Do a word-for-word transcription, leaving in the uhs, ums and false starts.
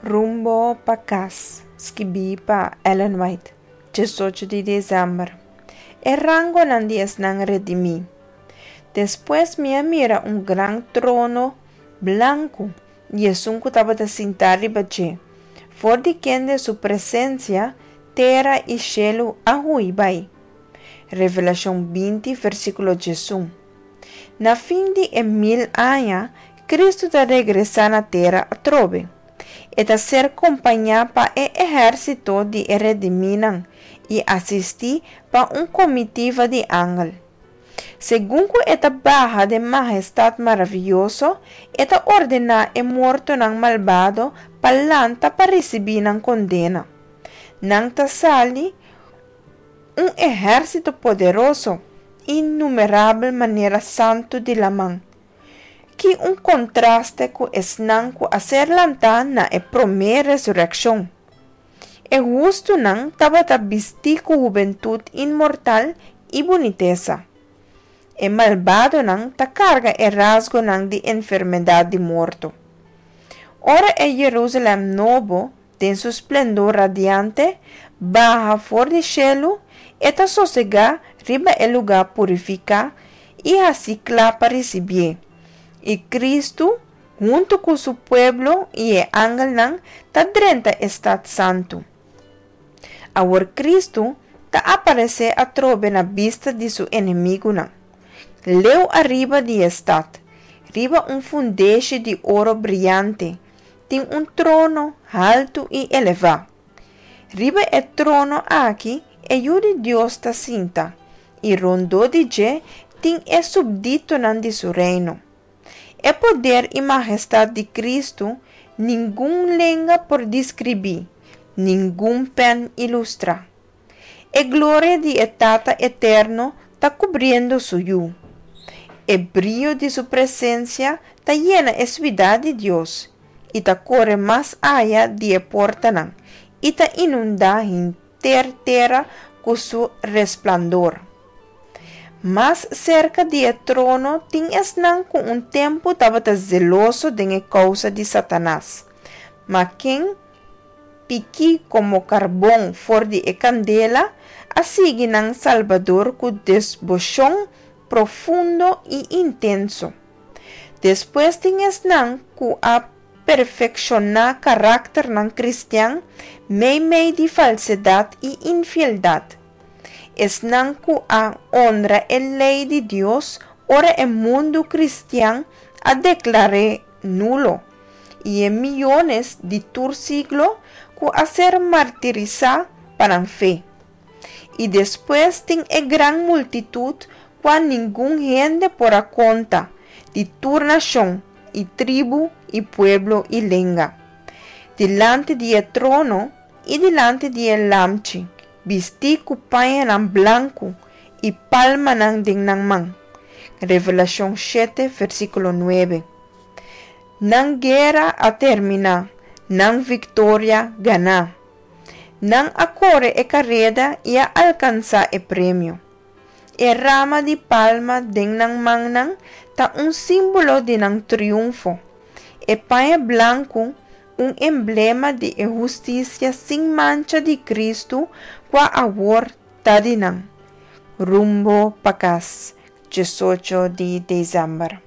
Rumbo pa Kas, skibí pa Ellen White, diesocho di desèmber. E rangonan di esnan redimí. Despues mi a mira un gran trono blanku i esun ku tabata sintá riba dje, for di kende su presensia tera i shelu a hui bai. Revelashon binti, versíkulo diesun. Na fin di e mil aña, Kristu ta regresá na tera atrobe. E ta ser kompañá pa e ehérsito di e redimínan i asistí pa un komitiva di angel. Segun ku e ta baha den mahestat maravioso, e ta ordená e mortonan malbado pa lanta pa risibí nan kondena. Nan ta sali, un ehérsito poderoso, innumerabel manera santu di laman. Ki un kontraste ku esnan ku a ser lantá na e promé resurekshon! E hustunan tabata bistí ku hubentut inmortal i bunitesa. E malbadonan ta karga e rasgonan di enfermedat di morto. Ora e Jerusalèm Nobo, den su splendor radiante, baha for di shelu, e ta sosegá riba e lugá purifiká i hasí kla pa risibié, i Kristu, huntu ku su pueblo i e angelnan, ta drenta e stat santu. Awor Kristu ta aparesé atrobe na bista di su enemigunan. Leu ariba di e stat, riba un fundeshi di oro briante, tin un trono haltu i elevá. Riba e trono aki e Yu di Dios ta sinta, i rondó di dje tin e supditonan di su Reino. E poder i mahestat di Kristu ningun lenga por deskribí, ningun pèn ilustrá. E gloria di e Tata Eterno ta kubriendo su Yu. E brio di su presensia ta yena e siudat di Dios i ta kore mas aya di e portanan i ta inundá henter tera ku su resplandor. Mas serka di e trono tin esnan ku un tempu tabata zeloso den e kousa di Satanas, ma ken, pikí komo karbon for di e kandela, a sigui nan Salbador ku deboshon profundo i intenso. Despues tin esnan ku a perfekshoná karakternan kristian meimei di falsedat i infieldat, esnan ku a honra e lei di Dios ora e mundu kristian a deklar'é nulo, i e miónes di tur siglo ku a ser martirisá pa nan fe. I despues tin e gran multitut kua ningun hende por a konta, di tur nashon i tribu i pueblo i lenga, dilanti di e trono i dilanti di e Lamchi, bistí ku pañanan blanku i palmanan den nan man. Revelashon shete, versíkulo nuebe. Nan guera a terminá, nan viktoria ganá. Nan a kore e kareda i a alkansá e premio. E rama di palma den nan mannan ta un símbolo di nan triunfo. E paña blanku un emblema di e hustisia sin mancha di Kristu kua awor ta di nan. Rumbo pa Kas, diesocho di desèmber.